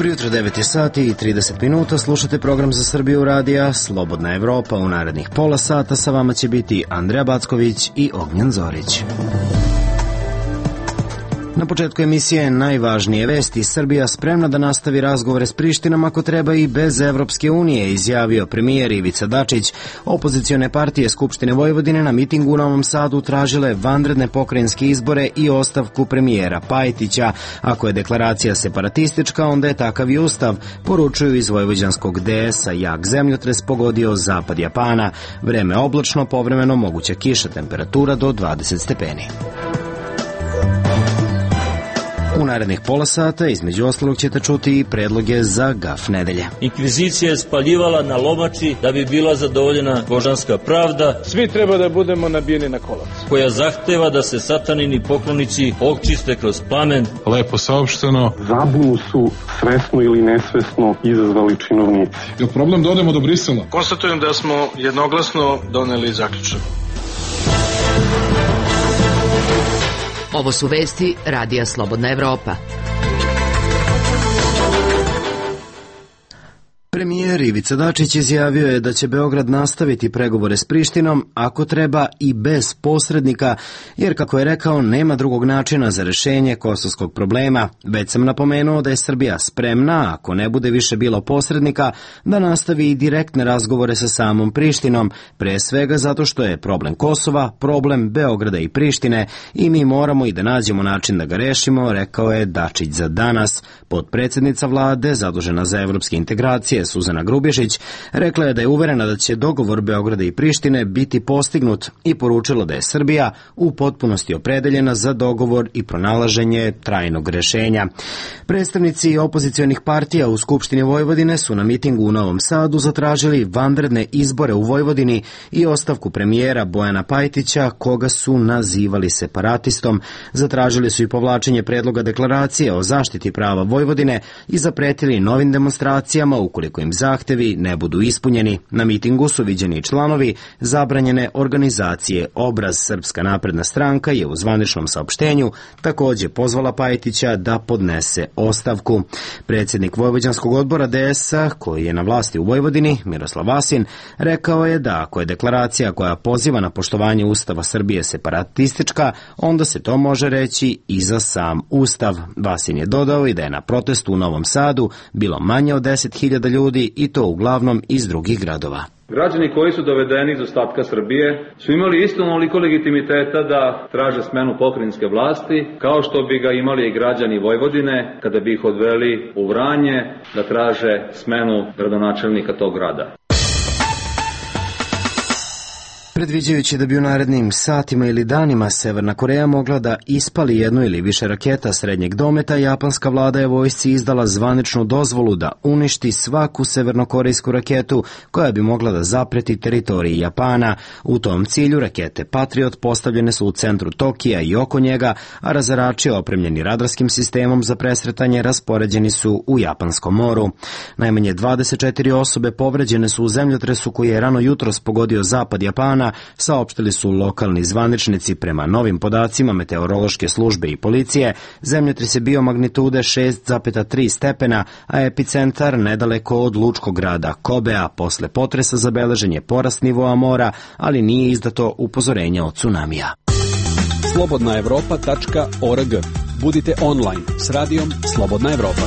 Dobro jutro, 9 je sati i 30 minuta, slušate program za Srbiju radija Slobodna Evropa. U narednih pola sata sa vama će biti Andreja Backović i Ognjen Zorić. Na početku emisije najvažnije vesti. Srbija spremna da nastavi razgovore s Prištinom ako treba i bez Evropske unije, izjavio premijer Ivica Dačić. Opozicione partije Skupštine Vojvodine na mitingu u Novom Sadu tražile vanredne pokrajinske izbore i ostavku premijera Pajtića. Ako je deklaracija separatistička, onda je takav i ustav, poručuju iz vojvođanskog DS-a. Jak zemljotres pogodio zapad Japana. Vreme oblačno, povremeno moguća kiša, temperatura do 20 stepeni. U narednih pola sata, između ostalog, ćete čuti i predloge za gaf nedelje. Inkvizicija je spaljivala na lomači da bi bila zadovoljena božanska pravda. Svi treba da budemo nabijeni na kolac. Koja zahteva da se satanini poklonici očiste kroz plamen. Lepo saopšteno. Zabunu su svesno ili nesvesno izazvali činovnici. Je problem da odemo do Brisela? Konstatujem da smo jednoglasno doneli zaključak. Ovo su vesti Radija Slobodna Evropa. Premijer Ivica Dačić izjavio je da će Beograd nastaviti pregovore s Prištinom, ako treba i bez posrednika, jer, kako je rekao, nema drugog načina za rešenje kosovskog problema. Već sam napomenuo da je Srbija spremna, ako ne bude više bilo posrednika, da nastavi i direktne razgovore sa samom Prištinom, pre svega zato što je problem Kosova problem Beograda i Prištine i mi moramo i da nađemo način da ga rešimo, rekao je Dačić za danas. Potpredsednica vlade, zadužena za evropske integracije, Suzana Grubješić, rekla je da je uverena da će dogovor Beograda i Prištine biti postignut i poručila da je Srbija u potpunosti opredeljena za dogovor i pronalaženje trajnog rešenja. Predstavnici opozicionih partija u Skupštini Vojvodine su na mitingu u Novom Sadu zatražili vanredne izbore u Vojvodini i ostavku premijera Bojana Pajtića, koga su nazivali separatistom. Zatražili su i povlačenje predloga deklaracije o zaštiti prava Vojvodine i zapretili novim demonstracijama ukoliko im zahtevi ne budu ispunjeni. Na mitingu su viđeni članovi zabranjene organizacije Obraz. Srpska napredna stranka je u zvaničnom saopštenju takođe pozvala Pajtića da podnese ostavku. Predsjednik Vojvođanskog odbora DS-a, koji je na vlasti u Vojvodini, Miroslav Vasin, rekao je da ako je deklaracija koja poziva na poštovanje Ustava Srbije separatistička, onda se to može reći i za sam Ustav. Vasin je dodao i da je na protestu u Novom Sadu bilo manje od 10.000 ljudi i to uglavnom iz drugih gradova. Građani koji su dovedeni iz ostatka Srbije su imali isto onoliko legitimiteta da traže smenu pokrajinske vlasti, kao što bi ga imali i građani Vojvodine kada bi ih odveli u Vranje da traže smenu gradonačelnika tog grada. Predviđajući da bi u narednim satima ili danima Severna Koreja mogla da ispali jednu ili više raketa srednjeg dometa, japanska vlada je vojsci izdala zvaničnu dozvolu da uništi svaku severnokorejsku raketu koja bi mogla da zapreti teritoriji Japana. U tom cilju rakete Patriot postavljene su u centru Tokija i oko njega, a razarači opremljeni radarskim sistemom za presretanje raspoređeni su u Japanskom moru. Najmanje 24 osobe povređene su u zemljotresu koji je rano jutros pogodio zapad Japana, saopštili su lokalni zvaničnici. Prema novim podacima meteorološke službe i policije, zemljotres je bio magnitude 6,3 stepena, a epicentar nedaleko od lučkog grada Kobea. Posle potresa zabeležen je porast nivoa mora, ali nije izdato upozorenje od tsunamija. slobodnaevropa.org. Budite online s radijom Slobodna Evropa.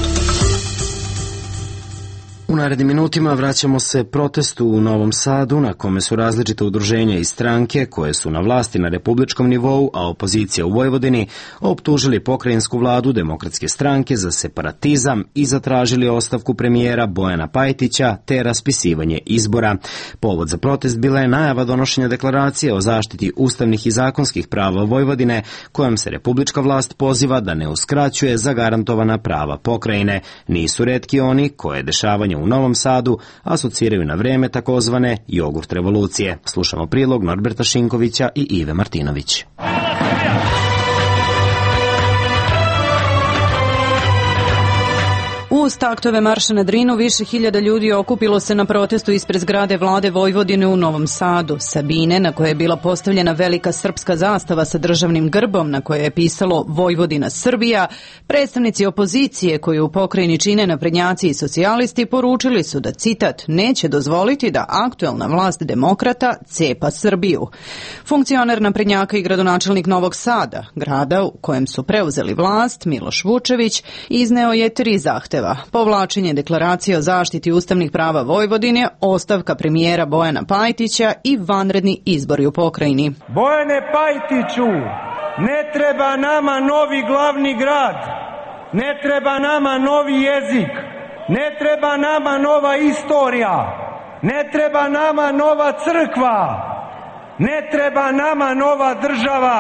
U narednim minutima vraćamo se protestu u Novom Sadu, na kome su različite udruženja i stranke koje su na vlasti na republičkom nivou, a opozicija u Vojvodini, optužili pokrajinsku vladu Demokratske stranke za separatizam i zatražili ostavku premijera Bojana Pajtića te raspisivanje izbora. Povod za protest bila je najava donošenja deklaracije o zaštiti ustavnih i zakonskih prava Vojvodine, kojom se republička vlast poziva da ne uskraćuje zagarantovana prava pokrajine. Nisu retki oni koje dešavanje u Novom Sadu asociraju na vreme takozvane jogurt revolucije. Slušamo prilog Norberta Šinkovića i Ive Martinović. U Uz taktove marša na Drinu više hiljada ljudi okupilo se na protestu ispred zgrade vlade Vojvodine u Novom Sadu. Sabine, na kojoj je bila postavljena velika srpska zastava sa državnim grbom na kojoj je pisalo Vojvodina Srbija, predstavnici opozicije koju u pokrajini čine naprednjaci i socijalisti poručili su da, citat, neće dozvoliti da aktuelna vlast demokrata cepa Srbiju. Funkcioner naprednjaka i gradonačelnik Novog Sada, grada u kojem su preuzeli vlast, Miloš Vučević, izneo je 3 zahteva: povlačenje deklaracije o zaštiti ustavnih prava Vojvodine, ostavka premijera Bojana Pajtića i vanredni izbori u pokrajini. Bojane Pajtiću, ne treba nama novi glavni grad, ne treba nama novi jezik, ne treba nama nova istorija, ne treba nama nova crkva, ne treba nama nova država,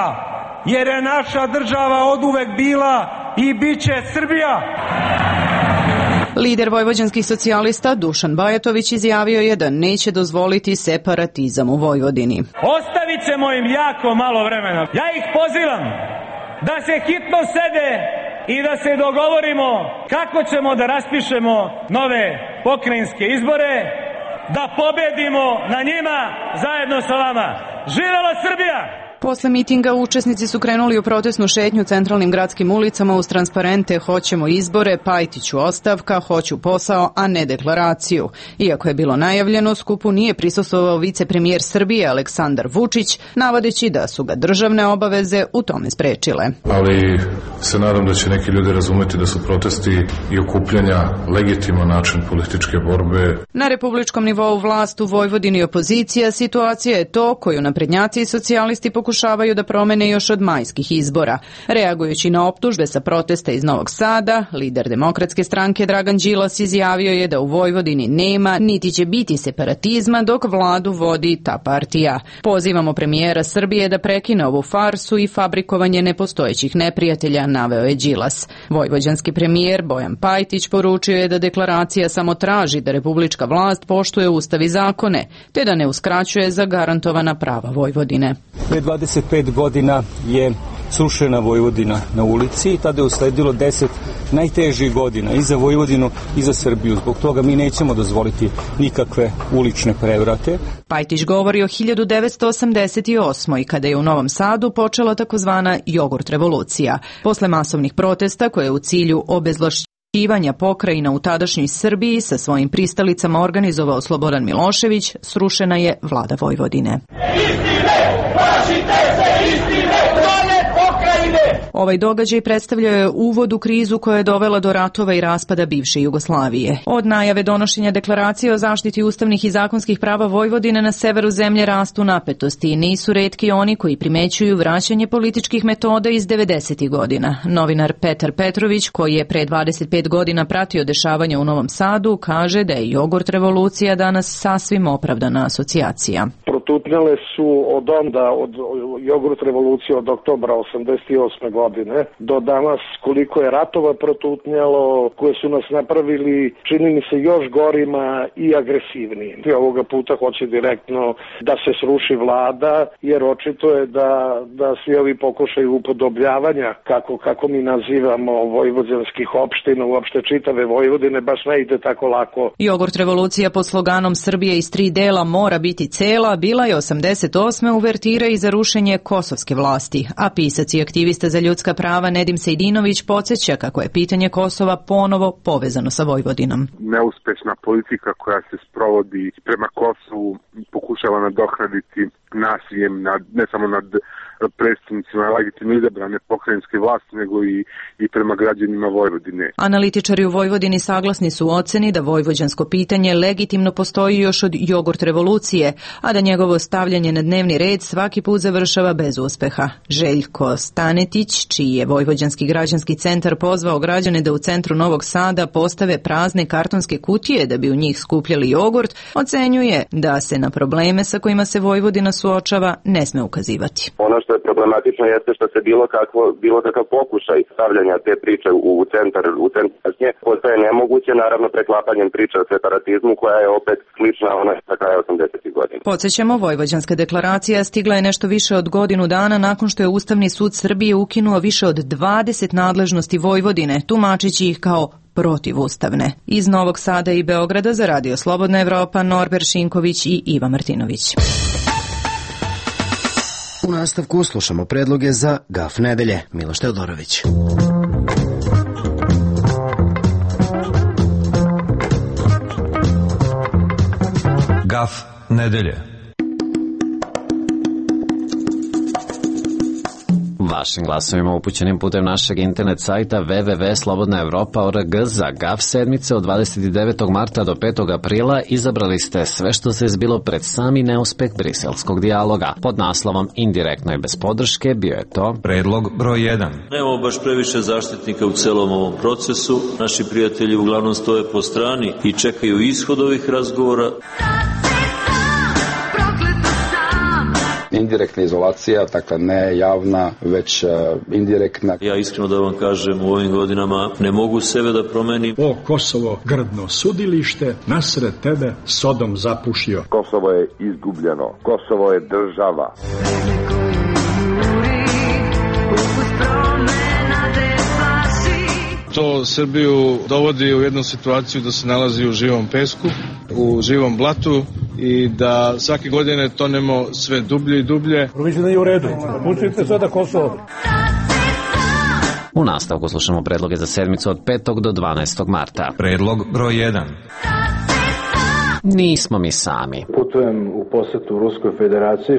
jer je naša država oduvek bila i bit će Srbija. Lider vojvođanskih socijalista Dušan Bajatović izjavio je da neće dozvoliti separatizam u Vojvodini. Ostavit ćemo im jako malo vremena. Ja ih pozivam da se hitno sede i da se dogovorimo kako ćemo da raspišemo nove pokrajinske izbore, da pobedimo na njima zajedno sa vama. Živela Srbija! Posle mitinga učesnici su krenuli u protestnu šetnju centralnim gradskim ulicama uz transparente "Hoćemo izbore", "Pajtiću ostavka", "Hoću posao, a ne deklaraciju". Iako je bilo najavljeno, skupu nije prisustvovao vicepremijer Srbije Aleksandar Vučić, navodeći da su ga državne obaveze u tome sprečile. Ali se nadam da će neki ljudi razumeti da su protesti i okupljanja legitiman način političke borbe. Na republičkom nivou vlast u Vojvodini i opozicija, situacija je to koju naprednjaci i socijalisti pokušavaju da promene još od majskih izbora. Reagujući na optužbe sa protesta iz Novog Sada, lider Demokratske stranke Dragan Đilas izjavio je da u Vojvodini nema niti će biti separatizma dok vladu vodi ta partija. Pozivamo premijera Srbije da prekine ovu farsu i fabrikovanje nepostojećih neprijatelja, naveo je Đilas. Vojvođanski premijer Bojan Pajtić poručio je da deklaracija samo traži da republička vlast poštuje ustav i zakone, te da ne uskraćuje zagarantovana prava Vojvodine. 25 godina je srušena Vojvodina na ulici i tada je usledilo 10 najtežih godina i za Vojvodinu i za Srbiju. Zbog toga mi nećemo dozvoliti nikakve ulične prevrate. Pajtić govori o 1988. kada je u Novom Sadu počela takozvana jogurt revolucija. Posle masovnih protesta koje je u cilju obezvlašćivanja pokrajina u tadašnjoj Srbiji sa svojim pristalicama organizovao Slobodan Milošević, srušena je vlada Vojvodine. Ovaj događaj predstavljao je uvod u krizu koja je dovela do ratova i raspada bivše Jugoslavije. Od najave donošenja deklaracije o zaštiti ustavnih i zakonskih prava Vojvodine na severu zemlje rastu napetosti i nisu retki oni koji primećuju vraćanje političkih metoda iz 90. godina. Novinar Petar Petrović, koji je pre 25 godina pratio dešavanja u Novom Sadu, kaže da je jogurt revolucija danas sasvim opravdana asocijacija. Protutnjale su od onda, od jogurt revolucije od oktobra 88. godine do danas koliko je ratova protutnjalo, koje su nas napravili, čini mi se, još gorima i agresivnijim. I ovoga puta hoće direktno da se sruši vlada, jer očito je da svi ovi pokušaju upodobljavanja, kako mi nazivamo vojvođanskih opština, uopšte čitave Vojvodine, baš ne ide tako lako. Jogurt revolucija pod sloganom Srbije iz 3 dela mora biti cela bila je 88. uvertira i za rušenje kosovske vlasti, a pisac i aktivista za ljudska prava Nedim Sejdinović podsjeća kako je pitanje Kosova ponovo povezano sa Vojvodinom. Neuspešna politika koja se sprovodi prema Kosovu pokušava nadoknaditi nasiljem ne samo nad predstavnicima legitimno izabrane pokrajinske vlasti, nego i prema građanima Vojvodine. Analitičari u Vojvodini saglasni su u oceni da vojvođansko pitanje legitimno postoji još od jogurt revolucije, a da njegovo stavljanje na dnevni red svaki put završava bez uspeha. Željko Stanetić, čiji je Vojvođanski građanski centar pozvao građane da u centru Novog Sada postave prazne kartonske kutije da bi u njih skupljali jogurt, ocenjuje da se na probleme sa kojima se Vojvodina suočava ne sme ukazivati. Ono što je problematično jeste što se bilo kakav pokušaj stavljanja te priče u centar postaje nemoguće, naravno preklapanjem priče o separatizmu koja je opet slična ona sa kraja 80. godina. Podsjećamo, Vojvođanska deklaracija stigla je nešto više od godinu dana nakon što je Ustavni sud Srbije ukinuo više od 20 nadležnosti Vojvodine, tumačići ih kao protivustavne. Iz Novog Sada i Beograda za Radio Slobodna Evropa, Norbert Šinković i Iva Martinović. U nastavku slušamo predloge za Gaf nedelje. Miloš Teodorović. Gaf nedelje. Vašim glasovima upućenim putem našeg internet sajta www.slobodnaevropa.org za GAF sedmice od 29. marta do 5. aprila izabrali ste sve što se zbilo pred sami neuspeh briselskog dijaloga. Pod naslovom Indirektno i bez podrške bio je to predlog broj 1. Nemamo baš previše zaštitnika u celom ovom procesu. Naši prijatelji uglavnom stoje po strani i čekaju ishod ovih razgovora. Indirektna izolacija, dakle ne javna, već indirektna. Ja iskreno da vam kažem, u ovim godinama ne mogu sebe da promenim. O Kosovo, grdno sudilište, nasred tebe Sodom zapušio. Kosovo je izgubljeno, Kosovo je država. To Srbiju dovodi u jednu situaciju da se nalazi u živom pesku, u živom blatu i da svake godine tonemo sve dublje i dublje. Mislim da je u redu. Pustite sada Kosovo. U nastavku slušamo predloge za sedmicu od 5. do 12. marta. Predlog broj 1. Nismo mi sami. Putujem u posetu Ruskoj federaciji.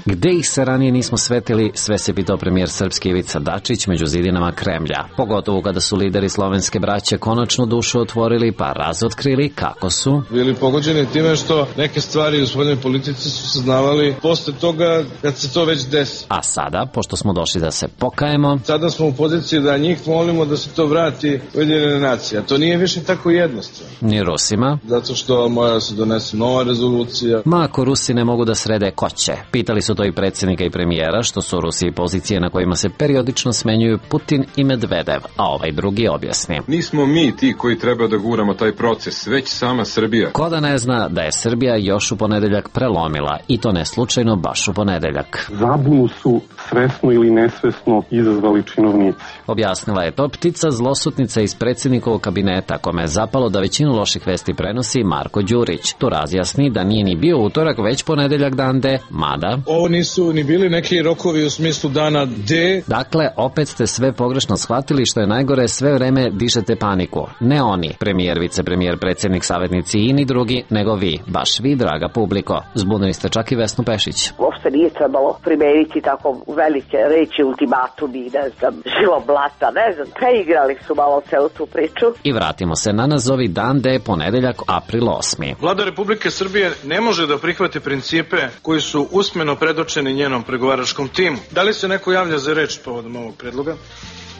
Gde ih se ranije nismo svetili, sve se pitao premijer srpski Ivica Dačić među zidinama Kremlja. Pogotovo kada su lideri slovenske braće konačno dušu otvorili pa razotkrili kako su bili pogođeni time što neke stvari u spoljnoj politici su saznavali posle toga kad se to već desi. A sada, pošto smo došli da se pokajemo, sada smo u poziciji da njih molimo da se to vrati Ujedinjene nacije. A to nije više tako jednostavno. Ni Rusima. Zato što mora se donese nova rezolucija. Ma ako Rusi ne mogu da srede, ko će? Pitali su to i predsjednika i premijera, što su u Rusiji pozicije na kojima se periodično smenjuju Putin i Medvedev, a ovaj drugi objasni. Nismo mi ti koji treba da guramo taj proces, već sama Srbija. Ko da ne zna da je Srbija još u ponedeljak prelomila, i to ne slučajno baš u ponedeljak. Zabunu su svesno ili nesvesno izazvali činovnici. Objasnila je to ptica zlosutnica iz predsjednikovog kabineta, kome je zapalo da većinu loših vesti prenosi Marko Đurić. Tu razjasni da nije ni bio utorak, već ponedeljak dan D, mada ovo nisu ni bili neki rokovi u smislu dana D. Dakle, opet ste sve pogrešno shvatili, što je najgore, sve vreme dišete paniku. Ne oni, premijer, vicepremijer, predsjednik, savjetnici i ni drugi, nego vi, baš vi, draga publiko. Zbunili ste čak i Vesnu Pešić. Uopšte nije trebalo primeniti tako velike reči, ultimatumi, ne znam, živo blata, ne znam, preigrali su malo celu tu priču. I vratimo se na nazovi dan D, ponedeljak, april 8. Vlada Republike Srbije ne može da prihvati principe koji su usmeno predočeni njenom pregovaračkom timu. Da li se neko javlja za reč povodom ovog predloga?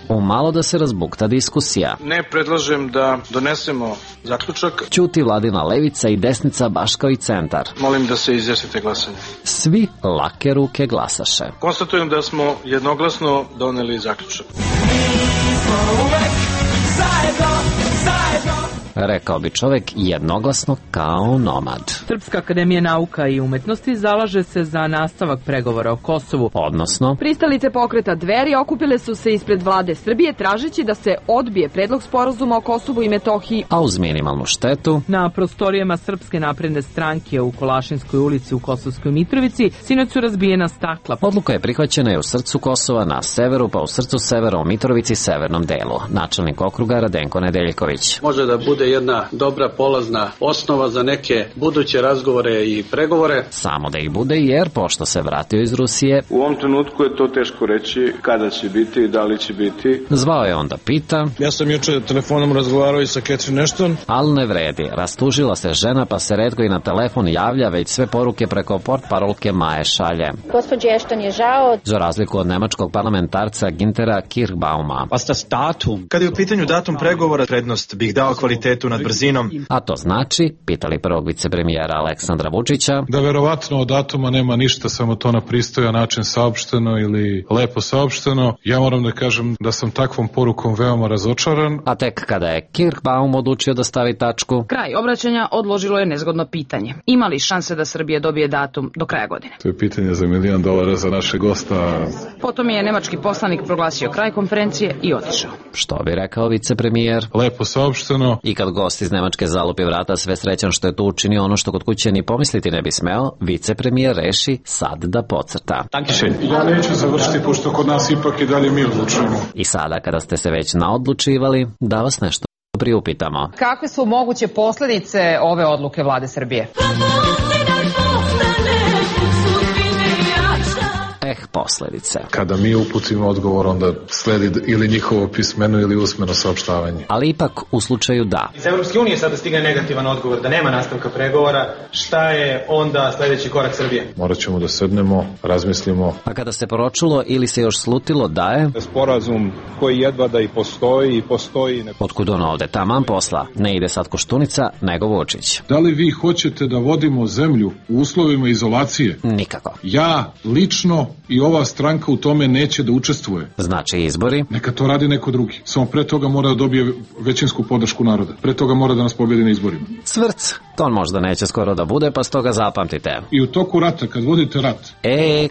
Umalo da se razbukta diskusija. Ne predlažem da donesemo zaključak. Ćuti vladina levica i desnica baš kao i centar. Molim da se izjasnite glasanje. Svi lake ruke glasaše. Konstatujem da smo jednoglasno doneli zaključak. Rekao bi čovek jednoglasno kao nomad. Srpska akademija nauka i umetnosti zalaže se za nastavak pregovora o Kosovu. Odnosno, pristalice pokreta Dveri okupile su se ispred vlade Srbije tražeći da se odbije predlog sporazuma o Kosovu i Metohiji, a uz minimalnu štetu. Na prostorijama Srpske napredne stranke u Kolašinskoj ulici u Kosovskoj Mitrovici sinoć su razbijena stakla. Odluka je prihvaćena i u srcu Kosova na severu, pa u srcu severa u Mitrovici severnom delu. Načelnik okruga Radenko Nedeljković. Može da bude jedna dobra polazna osnova za neke buduće razgovore i pregovore. Samo da ih bude, jer pošto se vratio iz Rusije, u ovom trenutku je to teško reći kada će biti i da li će biti. Zvao je onda pita. Ja sam juče telefonom razgovarao i sa Catherine Ashton. Ali ne vredi, rastužila se žena pa se retko i na telefon javlja, već sve poruke preko portparolke Maje šalje. Gospođi Ashton je žao. Za razliku od nemačkog parlamentarca Gintera Kirchbauma. Kada je u pitanju datum pregovora, prednost bih dao kvalitet kvalitetu nad brzinom. A to znači, pitali prvog vicepremijera Aleksandra Vučića, da verovatno od datuma nema ništa, samo to na pristojan način saopšteno ili lepo saopšteno. Ja moram da kažem da sam takvom porukom veoma razočaran. A tek kada je Kirkbaum odlučio da stavi tačku, kraj obraćanja odložilo je nezgodno pitanje. Ima li šanse da Srbija dobije datum do kraja godine? To je pitanje za $1 milion za naše gosta. Potom je nemački poslanik proglasio kraj konferencije i otišao. Što bi rekao vicepremijer? Lepo saopšteno. I kad gost iz Nemačke zalupi vrata, sve srećan što je tu učinio ono što kod kuće ni pomisliti ne bi smeo, vicepremijer reši sad da podcrta. Ja neću završiti, pošto kod nas ipak i dalje mi odlučujemo. I sada kada ste se već naodlučivali, da vas nešto priupitamo. Kakve su moguće posljedice ove odluke vlade Srbije? Posledice. Kada mi uputimo odgovor, onda sledi ili njihovo pismeno ili usmeno saopštavanje. Ali ipak u slučaju da. Iz Evropske unije sada stigne negativan odgovor da nema nastavka pregovora, šta je onda sledeći korak Srbije? Morat ćemo da sednemo, razmislimo. A kada se poročilo ili se još slutilo da je sporazum koji jedva da i postoji. Otkud ono ovde taman posla? Ne ide sad Koštunica, nego Vučić. Da li vi hoćete da vodimo zemlju u uslovima izolacije? Nikako. Ja lično i ova stranka u tome neće da učestvuje. Znači izbori? Neka to radi neko drugi. Samo pre toga mora da dobije većinsku podršku naroda. Pre toga mora da nas pobjedi na izborima. Cvrc, to možda neće skoro da bude, pa stoga zapamtite. I u toku rata, kad vodite rat.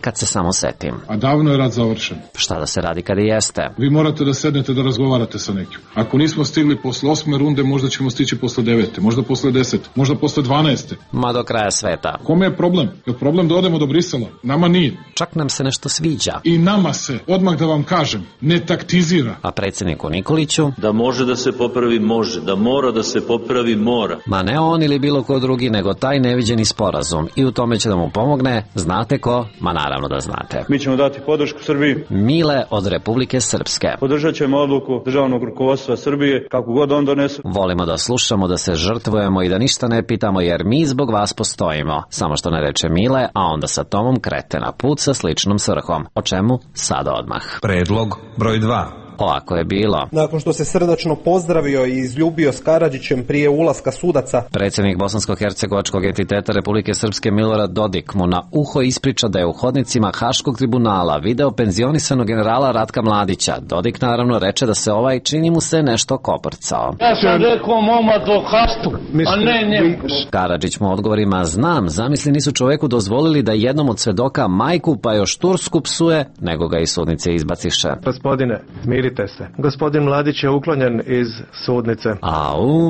Kad se samo setim. A davno je rat završen. Šta da se radi kad i jeste? Vi morate da sednete da razgovarate sa nekim. Ako nismo stigli posle 8. runde, možda ćemo stići posle 9. Možda posle 10. Možda posle 12. Ma do kraja sveta. Kome je problem? Je problem da odemo do Brisela? Nama nije. Čak nam se nešto sviđa. I nama se, odmah da vam kažem, ne taktizira. A predsjedniku Nikoliću? Da može da se popravi, može. Da mora da se popravi, mora. Ma ne on ili bilo ko drugi, nego taj neviđeni sporazum. I u tome će da mu pomogne, znate ko? Ma naravno da znate. Mi ćemo dati podršku Srbiji. Mile od Republike Srpske. Podržat ćemo odluku državnog rukovodstva Srbije, kako god on donese. Volimo da slušamo, da se žrtvujemo i da ništa ne pitamo, jer mi zbog vas postojimo. Samo što ne reče Mile, a onda sa Tomom krete na put sa sličnom svrhom. O čemu? Sada odmah. Predlog broj 2. Ovako je bilo. Nakon što se srdačno pozdravio i izljubio s Karadžićem prije ulaska sudaca, predsjednik bosansko-hercegovačkog entiteta Republike Srpske Milorad Dodik mu na uho ispriča da je u hodnicima Haškog tribunala video penzionisanog generala Ratka Mladića. Dodik naravno reče da se ovaj, čini mu se, nešto koprcao. Ja sam rekao momadu Haštu, a ne njemu. Karadžić mu odgovorima: znam, zamisli nisu čoveku dozvolili da jednom od svedoka majku pa još Tursku psuje, nego ga iz sudnice izbaciše. Gospodine, mirite se. Gospodin Mladić je uklonjen iz sudnice.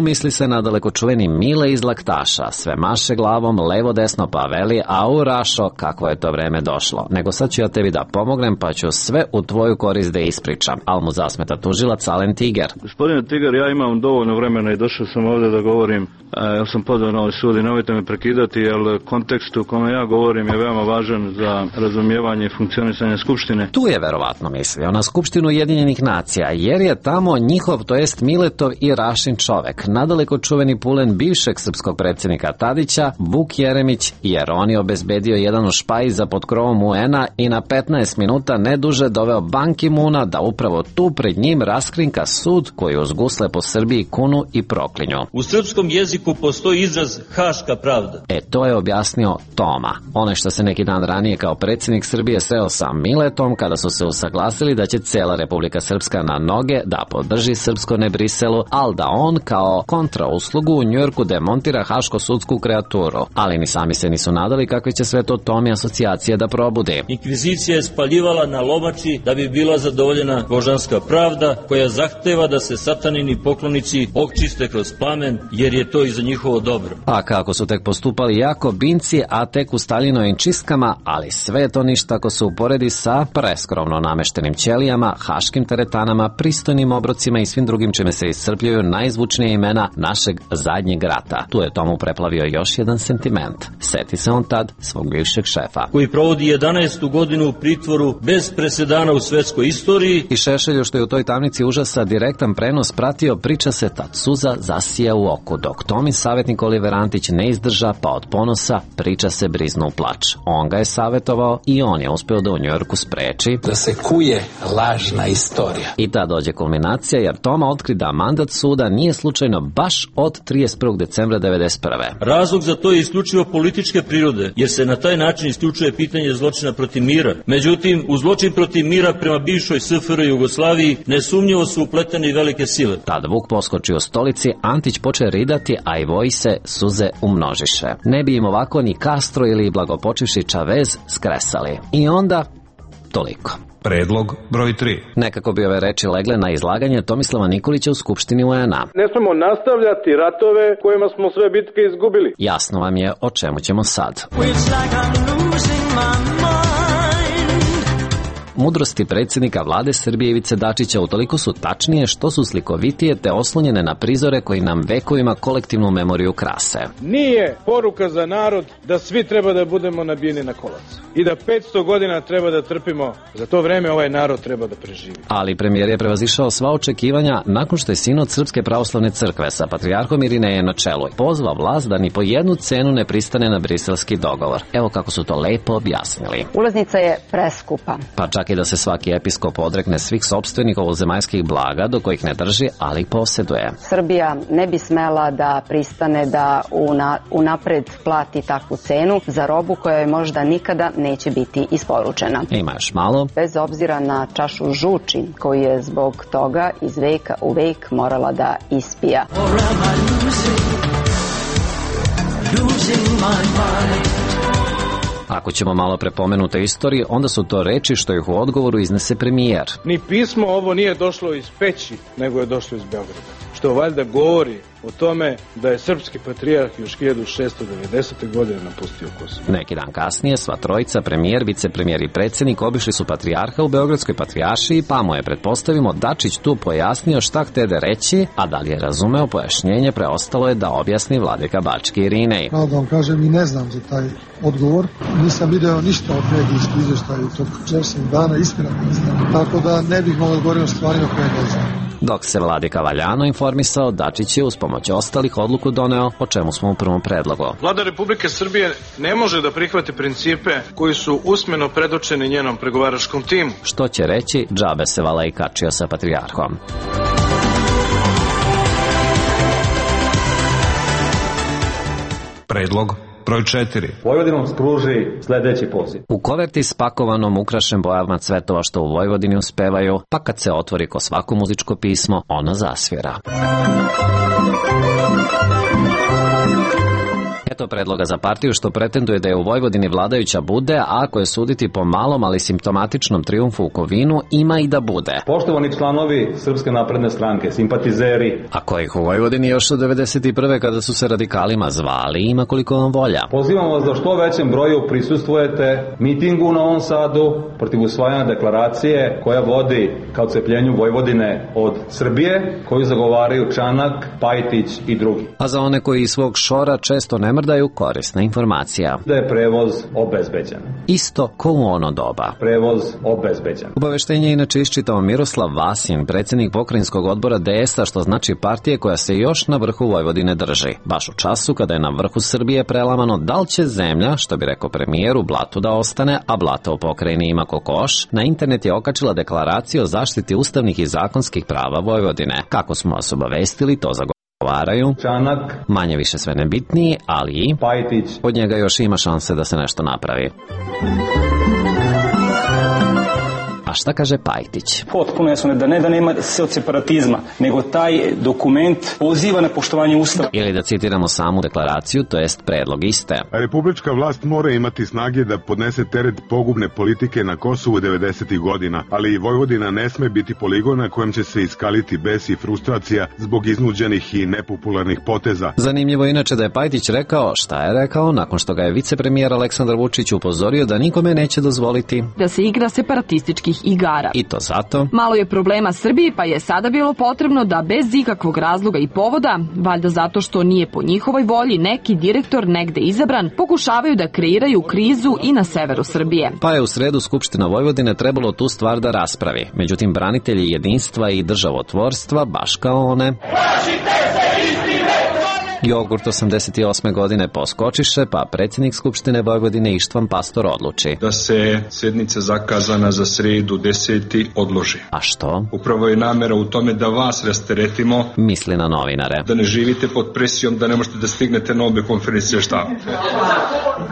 Misli se na daleko čuveni Mile iz Laktaša. Sve maše glavom, levo desno pa veli: Rašo, kako je to vreme došlo. Nego sad ću ja tebi da pomognem, pa ću sve u tvoju korist da ispričam. Al mu zasmeta tužilac Alen Tiger. Gospodine Tiger, ja imam dovoljno vremena i došao sam ovdje da govorim. Ja sam podao na ovaj sud i nemojte me prekidati, jer kontekst u kome ja govorim je veoma važan za razumijevanje i funkcionisanje Skupštine. Tu je verovatno mislio na Skupštinu Ujedinjenih nacija, jer je tamo njihov, to jest Miletov i Rašin čovek, nadaleko čuveni pulen bivšeg srpskog predsjednika Tadića, Vuk Jeremić, jer on je obezbedio jedan u špaj za pod krovom UN-a i na 15 minuta ne duže doveo Ban Ki-moona da upravo tu pred njim raskrinka sud koji uz gusle po Srbiji kunu i proklinju. U srpskom jeziku postoji izraz haška pravda. To je objasnio Toma. Onaj što se neki dan ranije kao predsjednik Srbije sreo sa Miletom kada su se usaglasili da će cela Republika Srpska na noge da podrži srpsko ne Briselu, ali da on kao kontrauslugu u Njujorku demontira haško-sudsku kreaturu. Ali ni sami se nisu nadali kakve će sve to Tomi asocijacije da probudi. Inkvizicija je spaljivala na lomači da bi bila zadovoljena božanska pravda koja zahteva da se satanini poklonici očiste kroz plamen, jer je to i za njihovo dobro. A kako su tek postupali Jakobinci, a tek u Stalinovim čistkama, ali sve to ništa ako se uporedi sa preskromno nameštenim ćelijama, haškim teretanama, pristojnim obrocima i svim drugim čime se iscrpljuju najzvučnije imena našeg zadnjeg rata. Tu je Tomu preplavio još jedan sentiment. Seti se on tad svog bivšeg šefa, koji provodi 11. godinu u pritvoru bez presedana u svetskoj istoriji. I Šešelju, što je u toj tamnici užasa direktan prenos pratio, priča se tad suza zasija u oku, dok Tomin savjetnik Oliver Antić ne izdrža, pa od ponosa priča se briznu u plač. On ga je savjetovao i on je uspeo da u Njujorku spreči da se kuje lažna istorija. istorija. I ta dođe kulminacija jer Toma otkri da mandat suda nije slučajno baš od 31. decembra 1991. Razlog za to je isključivo političke prirode, jer se na taj način isključuje pitanje zločina protiv mira. Međutim, u zločin protiv mira prema bivšoj SFRJ i Jugoslaviji nesumnjivo su upletene i velike sile. Tad Vuk poskoči u stolici, Antić poče ridati, a i voji se suze umnožiše. Ne bi im ovako ni Castro ili blagopočivši Chavez skresali. I onda, toliko. Predlog broj 3. Nekako bi ove reči legle na izlaganje Tomislava Nikolića u Skupštini UN-a. Ne smemo nastavljati ratove kojima smo sve bitke izgubili. Jasno vam je o čemu ćemo sad. Mudrosti predsjednika vlade Srbije Ivice Dačića utoliko su tačnije što su slikovitije te oslonjene na prizore koji nam vekovima kolektivnu memoriju krase. Nije poruka za narod da svi treba da budemo nabijeni na kolac i da 500 godina treba da trpimo. Za to vreme ovaj narod treba da preživi. Ali premijer je prevazišao sva očekivanja nakon što je sinod Srpske pravoslavne crkve sa patrijarhom Irinejem na čelu pozvao vlast da ni po jednu cenu ne pristane na briselski dogovor. Evo kako su to lepo objasnili. Ulaznica je preskupa. Pa čak i da se svaki episkop odrekne svih sopstvenih ovozemaljskih blaga do kojih ne drži, ali posjeduje. Srbija ne bi smela da pristane da unapred plati takvu cenu za robu koja je možda nikada neće biti isporučena. Ima još malo. Bez obzira na čašu žuči koju je zbog toga iz veka u vek morala da ispija. Ako ćemo malo prepomenute istorije, onda su to reči što ih u odgovoru iznese premijer. Ni pismo ovo nije došlo iz Peći, nego je došlo iz Beograda. Što valjda govori o tome da je srpski patrijarh još 1690. godine napustio Kosovo. Neki dan kasnije sva trojica, premijer, vicepremijer i predsjednik, obišli su patrijarha u Beogradskoj patrijaršiji, pa mu je, pretpostavimo, Dačić tu pojasnio šta htede reći, a da li je razumeo pojašnjenje, preostalo je da objasni vladika Bački Irinej. Pravo da vam kažem, i ne znam za taj odgovor. Nisam video ništa od medijskih izvještaja tog časnih dana, istina ne znam. Tako da ne bih mogao govoriti o stvarima koje ne znam. Dok se vladika valjano informisao, Dačić je uz pomoć ostalih odluku doneo, o čemu smo u prvom predlogu. Vlada Republike Srbije ne može da prihvati principe koji su usmeno predočeni njenom pregovaračkom timu. Što će reći, džabe se Valej kačio sa patrijarhom. Predlog broj 4. Vojvodinom spruži sledeći poziv. U koverti spakovanom ukrašen bojama cvetova što u Vojvodini uspevaju, pa kad se otvori ko svako muzičko pismo, ono zasvira. Eto predloga za partiju što pretenduje da je u Vojvodini vladajuća bude, a ako je suditi po malom, ali simptomatičnom trijumfu u Kovinu, ima i da bude. Poštovani članovi Srpske napredne stranke, simpatizeri. A kojih u Vojvodini još od 91. kada su se radikalima zvali, ima koliko vam volja. Pozivam vas da što većem broju prisustvujete mitingu u Novom Sadu protiv usvajanja deklaracije koja vodi ka odcepljenju Vojvodine od Srbije, koju zagovaraju Čanak, Pajtić i drugi. A za one koji iz svog šora često ne mrdaju, korisna informacija. Da je prevoz obezbeđen. Isto ko u ono doba. Prevoz obezbeđen. Obaveštenje je inače iščitao Miroslav Vasin, predsjednik pokrajinskog odbora DS-a, što znači partije koja se još na vrhu Vojvodine drži. Baš u času kada je na vrhu Srbije prelamano da li će zemlja, što bi rekao premijer, u blatu da ostane, a blata u pokrajini ima kokoš, na internet je okačila deklaraciju o zaštiti ustavnih i zakonskih prava Vojvodine. Kako smo vas obavestili, to zagovaraju Čanak, manje više sve nebitniji, ali i Pajtić. Od njega još ima šanse da se nešto napravi. A šta kaže Pajtić? Potpuno jasno da nema separatizma, nego taj dokument poziva na poštovanje Ustava. Ili da citiramo samu deklaraciju, to jest predlog iste. Republička vlast mora imati snage da podnese teret pogubne politike na Kosovu 90. godina, ali i Vojvodina ne sme biti poligon na kojem će se iskaliti bes i frustracija zbog iznuđenih i nepopularnih poteza. Zanimljivo inače da je Pajtić rekao šta je rekao nakon što ga je vicepremijer Aleksandar Vučić upozorio da nikome neće dozvoliti da se igra separatističkih igara. I to zato? Malo je problema Srbiji, pa je sada bilo potrebno da bez ikakvog razloga i povoda, valjda zato što nije po njihovoj volji neki direktor negde izabran, pokušavaju da kreiraju krizu i na severu Srbije. Pa je u sredu Skupština Vojvodine trebalo tu stvar da raspravi. Međutim, branitelji jedinstva i državotvorstva, baš kao one, Jogurt 88. godine poskočiše, pa predsjednik Skupštine Vojvodine Ištvan Pastor odluči da se sjednica zakazana za sredu 10. odloži. A što? Upravo je namjera u tome da vas rasteretimo. Misli na novinare. Da ne živite pod presijom, da ne možete da stignete na obje konferencije štaba.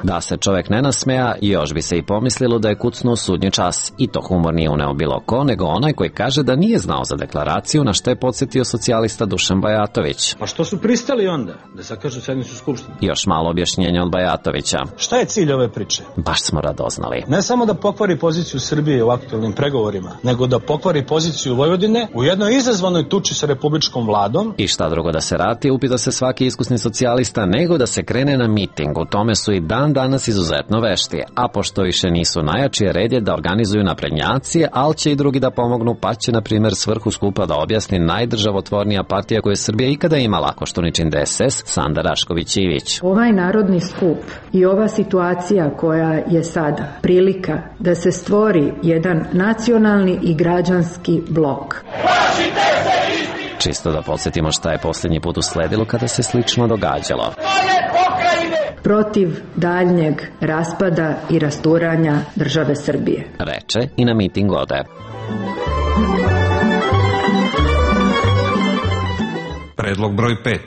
Da se čovjek ne nasmeja, još bi se i pomislilo da je kucnuo sudnji čas. I to humor nije uneo bilo ko, nego onaj koji kaže da nije znao za deklaraciju, na što je podsjetio socijalista Dušan Bajatović. Pa što su pristali onda da zakažu sednicu Skupštine? Još malo objašnjenja od Bajatovića. Šta je cilj ove priče? Baš smo radoznali. Ne samo da pokvari poziciju Srbije u aktualnim pregovorima, nego da pokvari poziciju Vojvodine u jednoj izazvanoj tuči sa republičkom vladom. I šta drugo da se rati, upita se svaki iskusni socijalista, nego da se krene na miting. U tome su i dan danas izuzetno vešti. A pošto više nisu najjači, red je da organizuju naprednjaci, ali će i drugi da pomognu, pa će, na primjer, svrhu skupa da objasni najdržavotvornija partija koju je Srbija ikada imala, Koštuničin DSS, Sanda Rašković-Ivić. Ovaj narodni skup i ova situacija koja je sada prilika da se stvori jedan nacionalni i građanski blok. Čisto da podsjetimo šta je posljednji put usledilo kada se slično događalo. Protiv daljnjeg raspada i rasturanja države Srbije. Reče i na miting ode. Predlog broj 5.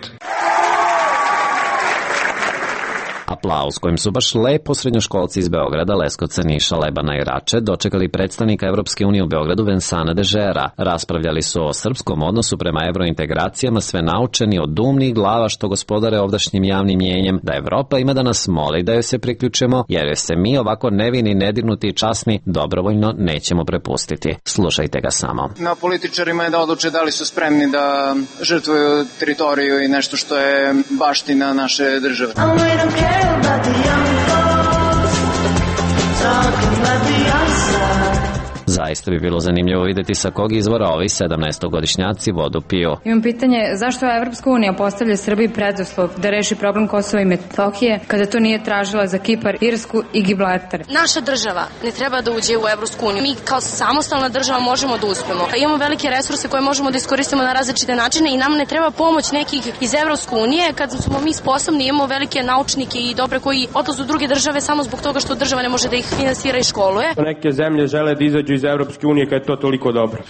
Aplauz kojim su baš lepo srednjoškolci iz Beograda, Leskovca, Niša, Lebana i Rače dočekali predstavnika Evropske unije u Beogradu Vincenta Dežera. Raspravljali su o srpskom odnosu prema evrointegracijama, sve naučeni od umnih glava što gospodare ovdašnjim javnim mjenjem, da Evropa ima da nas moli da joj se priključimo, jer je se mi ovako nevini, nedirnuti i časni dobrovoljno nećemo prepustiti. Slušajte ga samo. Na političarima je da odluče da li su spremni da žrtvuju teritoriju i nešto što je baština naše države. About the young folks, talking about the outside. Zaista bi bilo zanimljivo vidjeti sa kog izvora ovi 17-godišnjaci vodu piju. Imam pitanje, zašto Evropska unija postavlja Srbiji preduslov da reši problem Kosova i Metohije, kada to nije tražila za Kipar, Irsku i Gibraltar? Naša država ne treba da uđe u Evropsku uniju. Mi kao samostalna država možemo da uspemo. Imamo velike resurse koje možemo da iskoristimo na različite načine i nam ne treba pomoć nekih iz Evropske unije kad smo mi sposobni, imamo velike naučnike i dobre koji odlaze u druge države samo zbog toga što država ne može da ih finansira i školuje. Neke zemlje žele da izađu iz Evropske unije kad je to toliko dobro.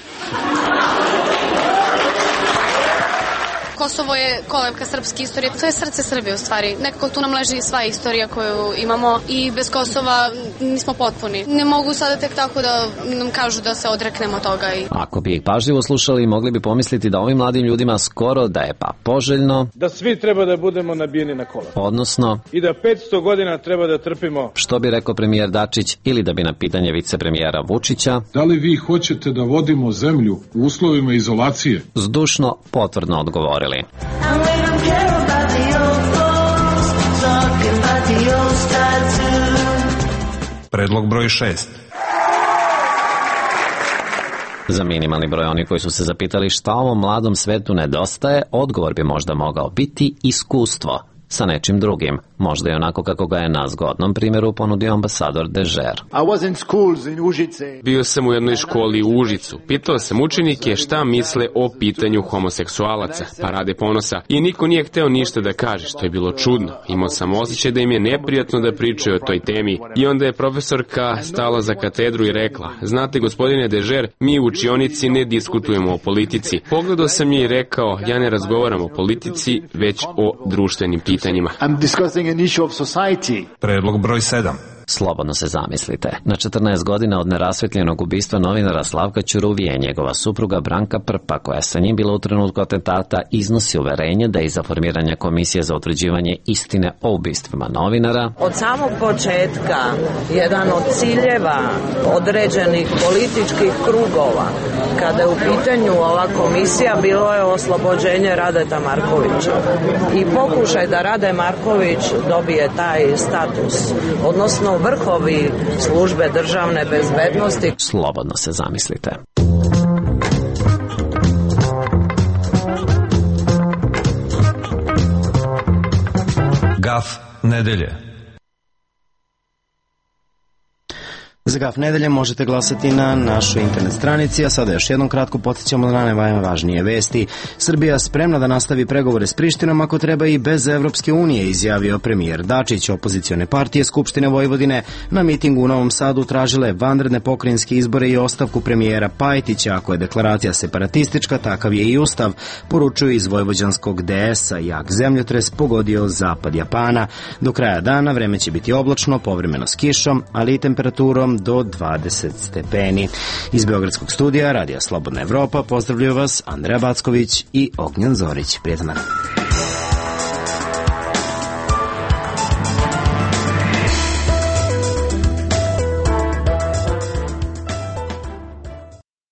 Kosovo je kolevka srpske istorije, to je srce Srbije u stvari. Nekako tu nam leži sva istorija koju imamo i bez Kosova nismo potpuni. Ne mogu sada tek tako da nam kažu da se odreknemo toga. Ako bi ih pažljivo slušali, mogli bi pomisliti da ovim mladim ljudima skoro da je pa poželjno da svi treba da budemo nabijeni na kola. Odnosno i da 500 godina treba da trpimo. Što bi rekao premijer Dačić, ili da bi na pitanje vicepremijera Vučića, da li vi hoćete da vodimo zemlju u uslovima izolacije, zdušno potvrdno odgovorili. Predlog broj 6. Za minimalni broj oni koji su se zapitali šta ovom mladom svetu nedostaje, odgovor bi možda mogao biti iskustvo sa nečim drugim, možda i onako kako ga je na zgodnom primjeru ponudio ambasador Dežer. Bio sam u jednoj školi u Užicu. Pitao sam učenike šta misle o pitanju homoseksualaca, parade ponosa, i niko nije hteo ništa da kaže, što je bilo čudno. Imao sam osjećaj da im je neprijatno da pričaju o toj temi i onda je profesorka stala za katedru i rekla: znate, gospodine Dežer, mi u učionici ne diskutujemo o politici. Pogledao sam je i rekao: ja ne razgovaram o politici, već o društvenim pitanjima. Predlog broj 7. Slobodno se zamislite. Na 14 godina od nerasvetljenog ubistva novinara Slavka Ćuruvije, njegova supruga Branka Prpa, koja je sa njim bila u trenutku atentata, iznosi uverenje da je iza formiranja komisije za utvrđivanje istine o ubistvima novinara od samog početka jedan od ciljeva određenih političkih krugova, kada je u pitanju ova komisija, bilo je oslobođenje Radeta Markovića i pokušaj da Rade Marković dobije taj status, odnosno vrhovi službe državne bezbednosti. Slobodno se zamislite. Gaf nedelje. Za GAF nedelje možete glasati na našoj internet stranici, a sada još jednom kratko podsjećamo na najvažnije vesti. Srbija spremna da nastavi pregovore s Prištinom ako treba i bez Evropske unije, izjavio premijer Dačić. Opozicione partije Skupštine Vojvodine na mitingu u Novom Sadu tražile vanredne pokrajinske izbore i ostavku premijera Pajtića. Ako je deklaracija separatistička, takav je i ustav, poručuju iz vojvođanskog DS-a. Jak zemljotres pogodio zapad Japana. Do kraja dana vreme će biti oblačno, povremeno s kišom, ali i temperaturom do 20 stepeni. Iz Beogradskog studija Radija Slobodna Evropa pozdravljaju vas Andreja Backović i Ognjen Zorić. Prijetan dan.